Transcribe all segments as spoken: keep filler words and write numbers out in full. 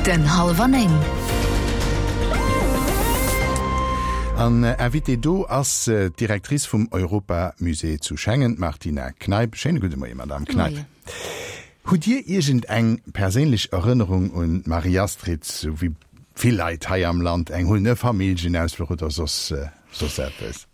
Den Hallwer Néng. An Invitée do ass d'Directrice vum Europamusée zu Schengen, d'Martina Kneip. Schéine gudde Moie, Madame Kneip. Hutt Dir iergend eng perséinlech Erënnerung un d'Marie-Astrid, sou wéi vill Leit hei am Land eng hunn, e Familljenausfluch oder soss soss eppes?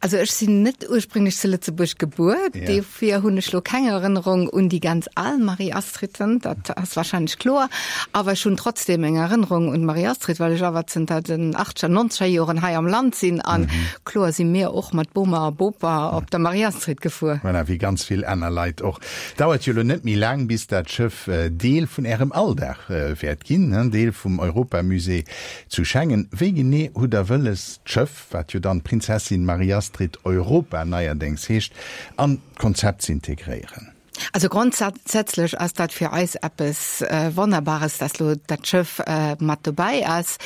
Also ech sinn net ursprünglech zu Lëtzebuerg gebuer, ja. Dofir hunn ech lo keng Erënnerung un déi ganz al Marie-Astriden, dat ass wahrscheinlech kloer. Awer ech hunn trotzdem eng Erënnerung un d'Marie-Astrid, well ech awer zënter den achtzeger, nonzeger Joren hei am Land sinn an mhm. kloer si mir och mat Boma a Bopa op der Marie-Astrid gefuer. Voilà, wéi ganz vill aner Leit och. Dauert jo lo net méi laang, bis dat Schëff äh, Deel vun Ärem Alldag äh, wäert ginn, ne? Deel vum Europamusée zu Schengen. Wéi genee hutt Der wëlles, d'Schëff, wat jo dann Prinzessin Marie-Astrid Europa neierdéngs heescht, an d'Konzept ze integréieren. Also grondsätzlech ass dat fir eis eppes Wonnerbares, dass lo dat Schëff mat dobäi ass.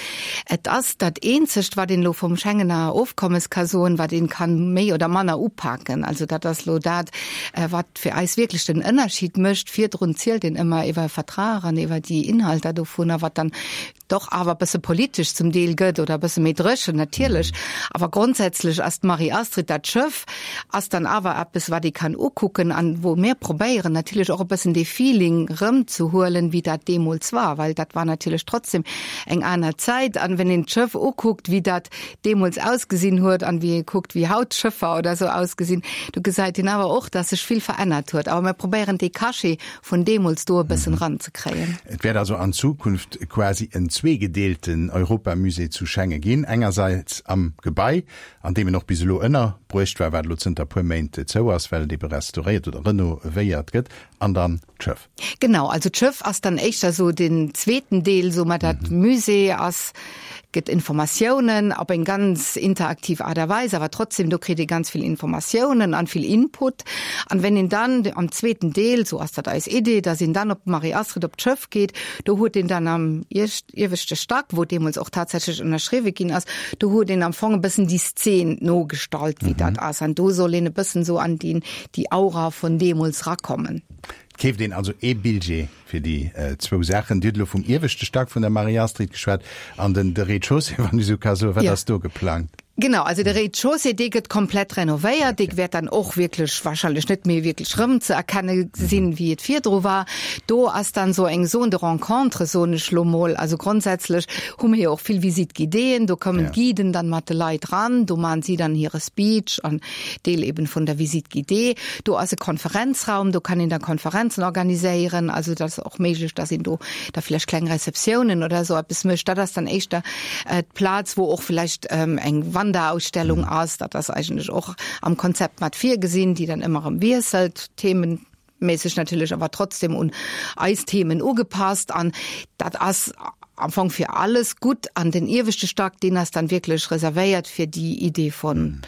Et ass dat eenzegt, wat een lo vum Schengener Ofkommes ka soen, wat een kann méi oder manner upaken. Also dat ass lo dat, wat fir eis wierklech den Ënnerschied mécht. Virdrun zielt een ëmmer iwwer Vertrag an iwwer déi Inhalter dovunner, wat dann doch awer e bësse politesch zum Deel gëtt oder e bësse méi dréchen natierlech. Awer grondsätzlech ass d'Marie-Astrid, dat Schëff ass dann awer eppes, wat ee kann ukucken an wou mir probéieren natierlech och e bëssen dee Feeling rëmzehuelen, wéi dat deemools war, well dat war natierlech trotzdem eng aner Zäit. An wenn een d'Schëff ukuckt, wéi dat deemools ausgesinn huet an wéi ee kuckt, wéi haut d'Schëffer oder esou ausgesinn, do gesäit een awer och, dass sech vill verännert huet. Awer mir probéieren dee Cachet vun deemools do e bëssen ranzekréien. Et wäert also an Zukunft quasi en zweegedeelten Europamusée zu Schengen ginn, engersäits am Gebai, an deem en och bis elo ënnerbruecht war, wat elo zënter puer Méint zou ass, well et ebe restauréiert oder renovéiert gëtt, an dann d'Schëff. Genau, also d'Schëff ass dann éischter esou den zweeten Deel, soe mer, dat Musée ass, gëtt Informatiounen op eng ganz interaktiv Aart a Weis, awer trotzdem, do kritt ee ganz vill Informatiounen an vill Input. An wenn een dann am zweeten Deel, sou ass dat eis Idee, dass een dann op d'Marie-Astrid op d'Schëff geet, do huet een dann am ieweschte Stack, wou deemools och tatsächlech ënnerschriwwe ginn ass, do huet een am Fong e bëssen déi Szen nogestallt, wéi dat ass. An do soll een e bëssen sou an déi, déi Aura vun deemools rakommen. Et keeft een also ee Billjee fir déi zwou Saachen. Dir hutt elo vum ieweschte Stack vun der Marie-Astrid geschwat an den de Rez-de-chaussée, wann ech esou ka soen. Wat ass do geplangt? Genau, also de Rez-de-chaussée, dee gëtt komplett renovéiert. Dee wäert dann och wierklech wahrscheinlech net méi wierklech rëmzeerkenne sinn, wéi et virdru war. Do ass dann esou eng Zone de rencontre, soen ech lo mol. Also grondsätzlech hu mir jo och vill Visite-guidéeën. Do kommen d'Guiden dann mat de Leit ran, do maachen si dann hire Speech an Deel eben vun der Visite guidée. Do ass e Konferenzraum, do kann een da Konferenzen organiséieren. Also et ass och méiglech, dass een do da vläicht kleng Receptiounen oder esou eppes mécht. Dat ass dann éischter d'Plaz, wou och vläicht eng Wanderausstellung ass. Dat ass eigentlech och am Konzept mat virgesinn, déi dann ëmmer erëm wiesselt, themenméisseg natierlech, awer trotzdem un eis Themen ugepasst. An dat ass am Fong fir alles gutt. An den ieweschte Stack, deen ass dann wierklech reservéiert fir déi Idee vun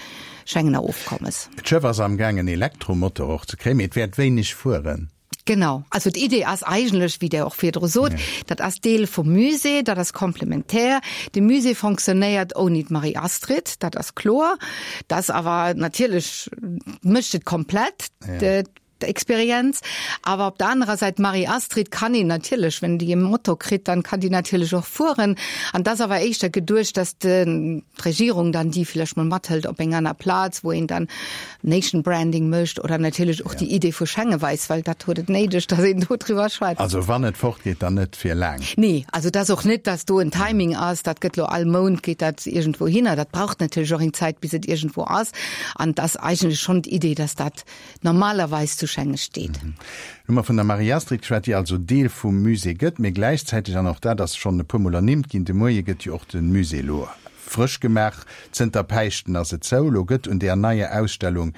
Schengener Ofkommes. D'Schëff ass am Gaang en Elektromotor och ze kréien, mee et wäert wéineg fueren. Genau. Also d'Idee ass eigentlech, wéi Der och virdru sot, dat ass Deel vum Musée, dat ass komplementär. De Musée fonctionnéiert ouni d'Marie-Astrid, dat ass kloer. Dat ass awer natierlech, mécht et komplett, d'Experienz. Awer op der anerer Säit, d'Marie-Astrid kann een natierlech, wenn déi e Motor kritt, dann kann déi natierlech och fueren. An dat ass awer éischter geduecht, dass d'Regierung dann déi vläicht mol mathëlt op eng aner Plaz, wou een dann Nation Branding mécht oder natierlech och déi Idee vu Schengen weist, well dat huet et néideg, dass een do driwwer schwätzt. Also wann et fortgeet, dann net fir laang? Nee, also et ass och net, dass do en Timing ass, dat gëtt lo all Mount geet dat iergendwou hinner. Dat braucht natierlech och eng Zäit, bis et iergendwou ass. An et ass eigentlech schonn d'Idee, dass dat normalerweis zu Schengen steet. Hu mer vun der Marie-Astrid geschwat, déi also Deel vum Musée gëtt, mee gläichzäiteg, an och dat ass schonn e puermol ernimmt ginn de Moie, gëtt jo och de Musée elo frësch gemaach. Zënter Päischten ass et zou. Elo gëtt un där neier Ausstellung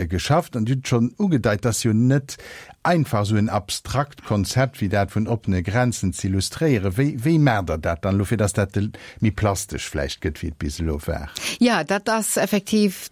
geschafft. An Dir hutt et schonn ugedeit, et ass jo net einfach esou en abstrakt Konzept wéi dat vun oppene Grenzen z'illustréieren. Wéi, wéi maacht Der dat dann elo, fir datt dat méi plastesch vläicht gëtt, wéi et bis elo war? Jo, dat ass effektiv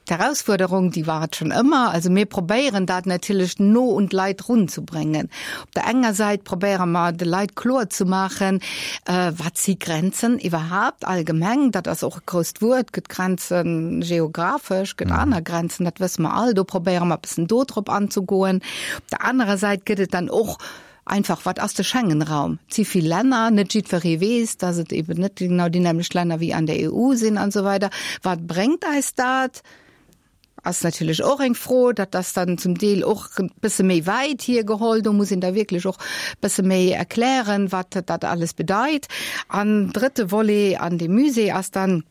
D'Erausfuerderung, déi war et schonn ëmmer. Also mir probéieren dat natierlech no un d'Leit runzubringen. Op der enger Säit probéiere mer de Leit kloer ze maachen, wat si Grenzen iwwerhaapt allgemeng. Dat ass och e grousst Wuert, gëtt Grenze geographesch, gëtt aner Grenzen, dat wësse mer all. Do probéiere mer e bëssen do drop anzegoen. Op der anerer Säit gëtt et dann och einfach, wat ass de Schengenraum? Et si vill Länner, net jiddweree weess, dass et eben net genau déi nämlecht Länner wéi an der E U sinn an esou weider. Wat bréngt eis dat? Ass natierlech och eng Fro, dat ass dann zum Deel och e bësse méi wäit hiergeholl, do muss een da wierklech och e bësse méi erklären, wat dat alles bedeit. An drëtte Volet an dem Musée ass dann,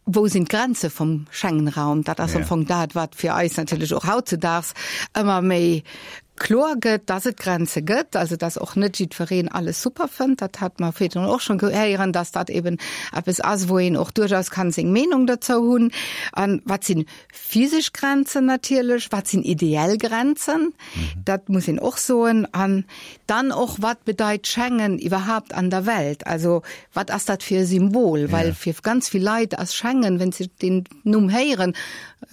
Wou sinn d'Grenze vum Schengenraum? Dat ass am Fong dat, wat fir eis natierlech och hautzedaags ëmmer méi kloer gëtt, dass et Grenze gëtt, also dass och net jiddwereen alles super fënnt. Dat hat mer virdrun och schonn gehéieren, dass dat eben eppes ass, wou een och duerchaus kann seng Meenung dozou hunn. An wat sinn physesch Grenzen natierlech, wat sinn ideell Grenzen, dat muss een och soen. An dann och, wat bedeit Schengen iwwerhaapt an der Welt? Also wat ass dat fir e Symbol? Well fir ganz vill Leit ass Schengen, wenn se den Numm héieren,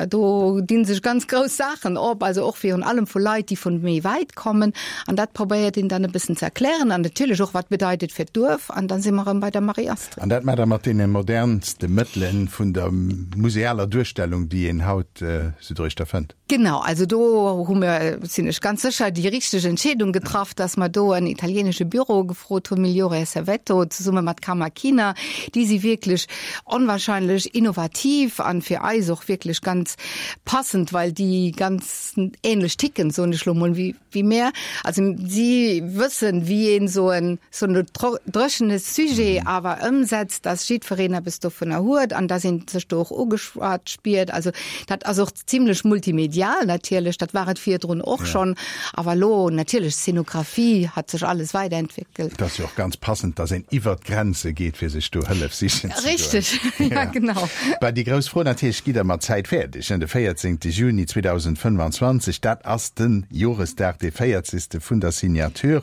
do dinn sech ganz grouss Saachen op, also och virun allem vu Leit, déi vun méi wäit kommen. An dat probéiert een dann e bëssen ze erklären an natierlech och, wat bedeit et fir d'Duerf. An dann si mer erëm bei der Marie-Astrid. An dat maacht Der mat deene modernste Mëttele vun der musealer Duerstellung, déi een haut esou doruechter fënnt. Genau, also do hu mir, sinn ech ganz sécher, déi richteg Entscheedung getraff, dass mer do en italienesche Büro gefrot hunn, Migliore e Servetto, zesumme mat Cammacchina. Déi si wierklech onwahrscheinlech innovativ an fir eis och wierklech ganz passend, well déi ganz ähnlech ticken, soen ech lo mol, wéi wéi mär. Also si wëssen, wéi een esou en esou en dréchene Sujet awer ëmsetzt, dass jiddwereen eppes dovunner huet an dass een sech do och ugeschwat spiert. Also dat ass och zimlech multimedial natierlech, dat war et virdrun och schonn, awer elo natierlech Szenografie hat sech alles weiderentwéckelt. Et ass jo och ganz passend, dass een iwwert d'Grenze geet, fir sech do Hëllef sichen ze goen. Richteg, ja genau. Bah, déi grouss Fro natierlech, Gitt Der mat Zäit fäerdeg? De véierzéngte Juni zweedausendfënnfanzwanzeg, dat ass de Joresdag, dee véierzegste vun der Signature.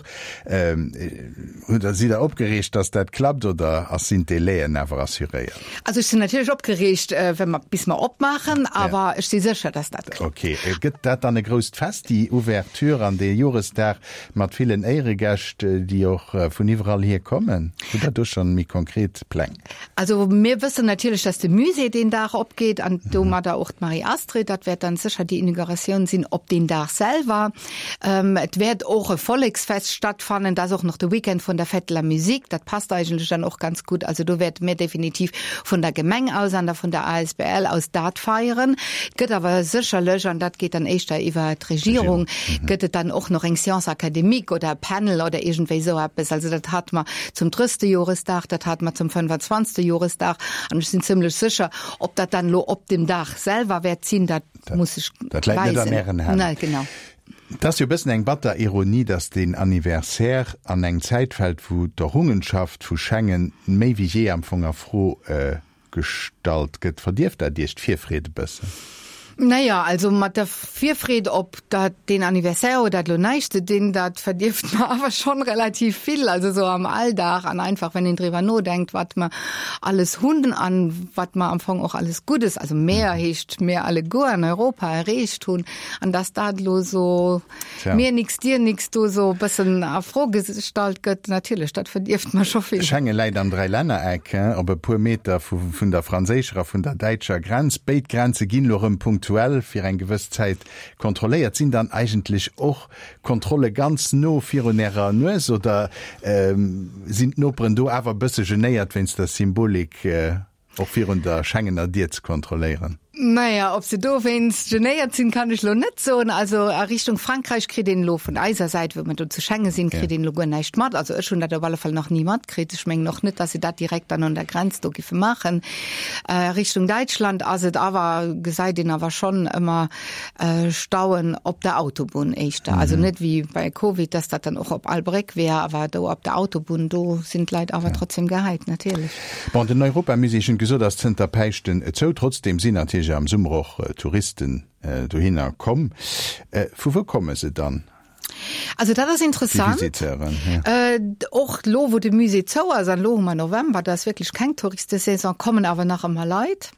Hutt Der, sidd Der opgereegt, dass dat klappt oder ass, sinn d'Délaiën awer assuréiert? Also ech sinn natierlech opgereegt, wa mer, bis mer opmaachen, awer ech si sécher, dass dat klappt. Ok. Gëtt dat dann e grousst Fest, déi Ouverture an dee Joresdag mat villen Éieregäscht, déi och vun iwwerall hier kommen? Hutt Der do schonn méi konkret Pläng? Also mir wëssen natierlech, dass de Musée deen Dag opgeet an domadder och d'Marie-Astrid. Dat wäert dann sécher déi Inauguratioun sinn op deen Dag selwer. Et wäert och e Volleksfest stattfannen, dat ass och nach de Weekend vun der Fête de la Musique. Dat passt eigentlech dann och ganz gutt. Also do wäerte mir definitiv vun der Gemeng aus an der vun der A S B L aus dat feieren. Et gëtt awer sécherlech, an dat geet dann éischter iwwer d'Regierung, gëtt et dann och nach eng Séance académique oder e Panel oder iergendwéi esou eppes. Also dat hate mer zum drësste Joresdag, dat hate mer zum fënnfanzwanzegste Joresdag an ech sinn zimlech sécher, ob dat dann elo op dem Dag selwer wäert sinn, dat muss sech Dat läit net an weisen. Ären Hänn. Nee, genau. Et ass jo e bëssen eng batter Ironie, dass deen Anniversaire an eng Zäit fält, wou d'Errungenschaft vu Schengen méi wéi jee am Fong a Fro gestallt gëtt. Verdierft dat Iech d'Virfreed e bëssen? Naja, also mat der Virfreed op dat deen Anniversaire huet dat lo näischt ze dinn, dat verdierft mer awer schonn relativ vill, also sou am Alldag an einfach wenn een driwwer nodenkt, wat mer alles hunn an wat mer am Fong och alles Guddes, also mer heescht mir alleguer an Europa, erreecht hunn an dass dat lo sou mir nix dir nix do sou e bëssen a Fro gestallt gëtt, natierlech dat verdierft mer scho vill. Schengen läit am Dräilännereck, op e puer Meter vun der franséischer a vun der däitscher Grenz. Béid Grenze ginn elo erëm punktuell fir eng gewëss Zäit kontrolléiert. Sinn dann eigentlech och Kontrolle ganz no virun Ärer Nues oder sinn d'Noperen do awer e bësse genéiert wéinst der Symbolik och virun der Schengener Dier ze kontrolléieren? Naja, ob se dowéinst genéiert sinn, kann ech lo net soen. Also a Richtung Frankräich kritt een elo vun eiser Säit, wou mer do zu Schengen sinn, kritt een elo guer näischt mat. Also ech hunn dat op alle Fall nach ni matkritt. Ech mengen och net, datt se dat direkt dann un der Grenz do giffe maachen. Richtung Däitschland ass et awer, gesäit een awer schonn ëmmer Stauen op der Autobunn éischter. Also net wéi bei Covid, datt dat dann och op all Bréck wär, awer do op der Autobunn, do sinn d'Leit awer trotzdem gehäit, natierlech. Bon, den Europamusée, ech hunn gesot, ass zënter Päischten zou. Trotzdem sinn natierlech am Summer och Touristen dohinner komm. Vu wou komme se dann? Also dat ass Déi interessant. Visiteuren, ja. Och lo wou de Musée zou ass, an lo hu mer November, do ass wierklech keng Touristesaison, kommen awer nach ëmmer Leit.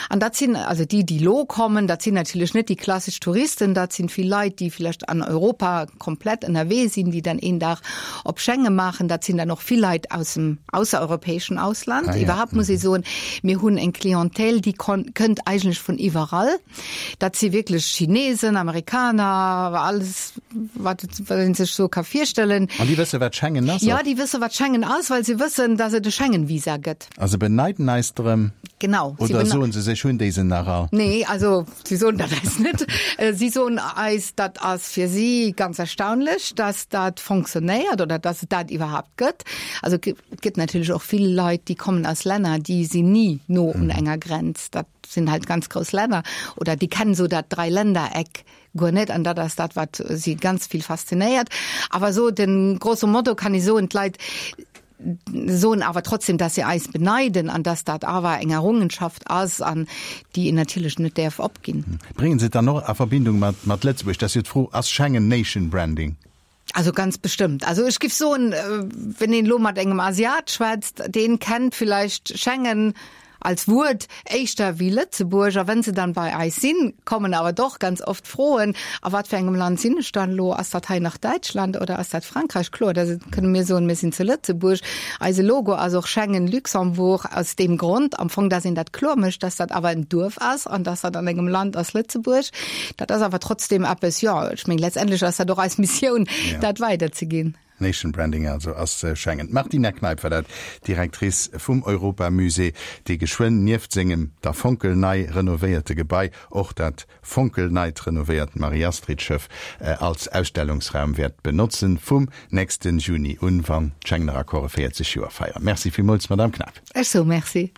An dat sinn also déi, déi lo kommen, dat sinn natierlech net déi klassesch Touristen, dat sinn vill Leit, déi vläicht an Europa komplett ënnerwee sinn, déi dann een Dag op Schengen maachen. Dat sinn dann och vill Leit aus dem aussereuropäeschen Ausland. Ah, ja. Iwwerhaapt muss ech soen, mir hunn eng Clientèle, déi kënnt eigentlech vun iwwerall. Dat si wierklech Chinesen, Amerikaner, alles wat wat een sech sou ka virstellen. An déi wësse wat Schengen ass? Ja, déi wësse wat Schengen ass, well se wëssen, dass et e Schengen-Visa gëtt. A se beneiden eis drëm? Genau. Oder soen se sech, hunn déi se nach all? Nee, also si soen dat eis net. Si soen eis, dat ass fir si ganz erstaunlech, dass dat fonctionnéiert oder dass et dat iwwerhaapt gëtt. Also et gëtt natierlech och vill Leit, déi kommen aus Länner, déi sinn ni no un enger Grenz. Dat sinn halt ganz grouss Länner oder déi kennen esou dat Dräiländereck guer net an dat ass dat, wat si ganz vill faszinéiert. Awer esou den grosso modo kann ech soen, d'Leit soen awer trotzdem, dass se eis beneiden an dass dat awer eng Errungenschaft ass an déi een natierlech net däerf opginn. Bréngen se et dann och a Verbindung mat mat Lëtzebuerg? Dat ass jo d'Fro, ass Schengen Nation Branding? Also ganz bestëmmt. Also ech giff soen, wenn een elo mat engem Asiat schwätzt, deen kennt vielleicht Schengen als Wuert éischter wéi Lëtzebuerg. A wenn se dann bei eis sinn, kommen awer doch ganz oft Froen, a wat fir engem Land sinn ech dann elo? Ass dat hei nach Däitschland oder ass dat Frankräich? Kloer, da kënne mir soen, mir sinn zu Lëtzebuerg. Eise Logo ass och Schengen Luxembourg aus deem Grond am Fong, dass een dat kloer mécht, dass dat awer en Duerf ass an dass dat an engem Land ass, Lëtzebuerg. Dat ass awer trotzdem eppes, jo, ech mengen, letztendlech ass dat och eis Missioun, dat weiderzeginn. Nation Branding also ass Schengen. D'Martina Kneip war dat, Directrice vum Europamusée, dee geschwënn nieft sengem da fonkelnei renovéierte Gebai och dat fonkelneit renovéiert Marie-Astrid-Schëff als Ausstellungsraum wäert benotzen, vum nächste Juni un, wann d'Schengener Accorde véierzeg Joer feieren. Merci villmools, Madamm Kneip. Ech soe Merci.